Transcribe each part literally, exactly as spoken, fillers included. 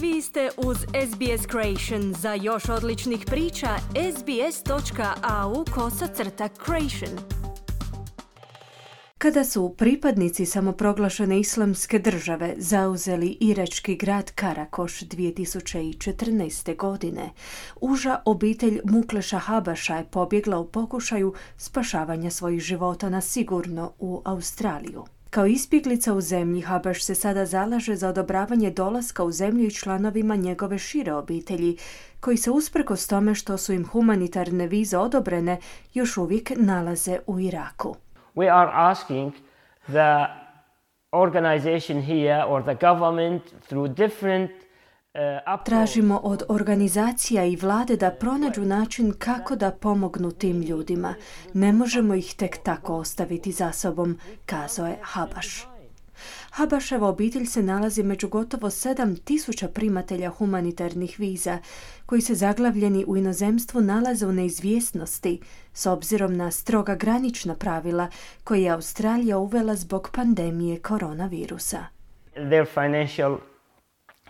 Vi ste uz S B S Creation. Za još odličnih priča, sbs.au kosacrta creation. Kada su pripadnici samoproglašene islamske države zauzeli irački grad Karakoš dvije tisuće četrnaeste. godine, uža obitelj Mukleša Habaša je pobjegla u pokušaju spašavanja svojih života na sigurno u Australiju. Kao izbjeglica u zemlji, Habaš se sada zalaže za odobravanje dolaska u zemlju i članovima njegove šire obitelji, koji se usprkos tome što su im humanitarne vize odobrene, još uvijek nalaze u Iraku. We are asking the organization here or the government through different uh, Tražimo od organizacija i vlade da pronađu način kako da pomognu tim ljudima. Ne možemo ih tek tako ostaviti za sobom, kazao je Habaš. Habaševa obitelj se nalazi među gotovo sedam tisuća primatelja humanitarnih viza, koji se zaglavljeni u inozemstvu nalaze u neizvjesnosti s obzirom na stroga granična pravila koje je Australija uvela zbog pandemije koronavirusa. Their financial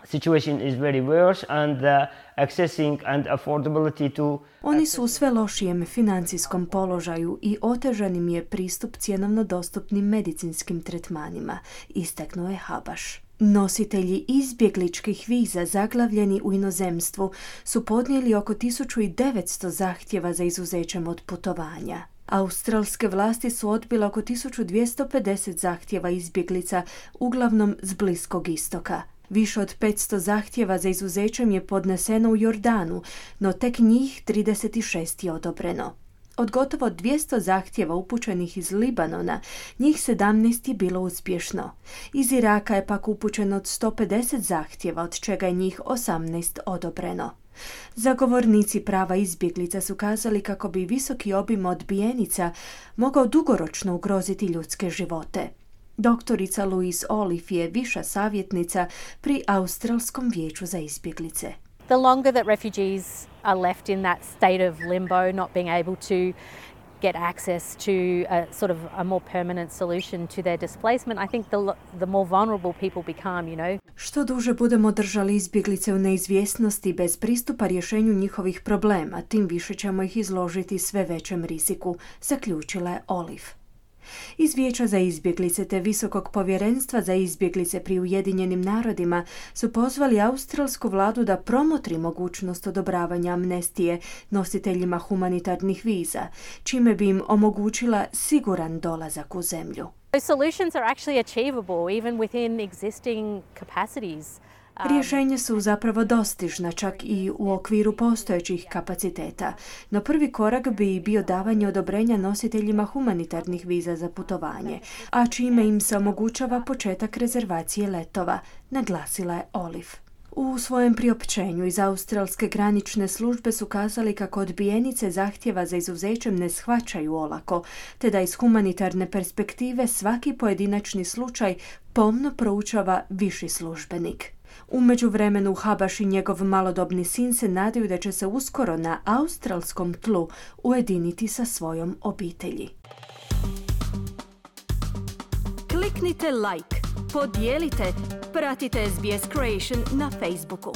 situation is very worse and the accessing and affordability to Oni su u sve lošijem financijskom položaju i otežan im je pristup cjenovno dostupnim medicinskim tretmanima, istaknuo je Habaš. Nositelji izbjegličkih viza zaglavljeni u inozemstvu su podnijeli oko tisuću devetsto zahtjeva za izuzećem od putovanja. Australske vlasti su odbile oko tisuću dvjesto pedeset zahtjeva izbjeglica, uglavnom s Bliskog istoka. Više od petsto zahtjeva za izuzećem je podneseno u Jordanu, no tek njih trideset šest je odobreno. Od gotovo dvjesto zahtjeva upućenih iz Libanona, njih sedamnaest je bilo uspješno. Iz Iraka je pak upućeno od sto pedeset zahtjeva, od čega je njih osamnaest odobreno. Zagovornici prava izbjeglica su kazali kako bi visoki obim odbijenica mogao dugoročno ugroziti ljudske živote. Doktorica Louise Olive je viša savjetnica pri Australskom vijeću za izbjeglice. The longer that refugees are left in that state of limbo, not being able to get access to a sort of a more permanent solution to their displacement, I think the the more vulnerable people become, you know. Što duže budemo držali izbjeglice u neizvjesnosti bez pristupa rješenju njihovih problema, tim više ćemo ih izložiti sve većem riziku, zaključila je Olive. Iz Vijeća za izbjeglice te Visokog povjerenstva za izbjeglice pri Ujedinjenim narodima su pozvali australsku vladu da promotri mogućnost odobravanja amnestije nositeljima humanitarnih viza, čime bi im omogućila siguran dolazak u zemlju. Those solutions are actually achievable even within existing capacities. Rješenja su zapravo dostižna čak i u okviru postojećih kapaciteta, no prvi korak bi bio davanje odobrenja nositeljima humanitarnih viza za putovanje, a čime im se omogućava početak rezervacije letova, naglasila je Olive. U svojem priopćenju iz Australske granične službe su kazali kako odbijenice zahtjeva za izuzećem ne shvaćaju olako, te da iz humanitarne perspektive svaki pojedinačni slučaj pomno proučava viši službenik. U međuvremenu Habaš i njegov malodobni sin se nadaju da će se uskoro na australskom tlu ujediniti sa svojom obitelji. Kliknite like, podijelite, pratite S B S Creation na Facebooku.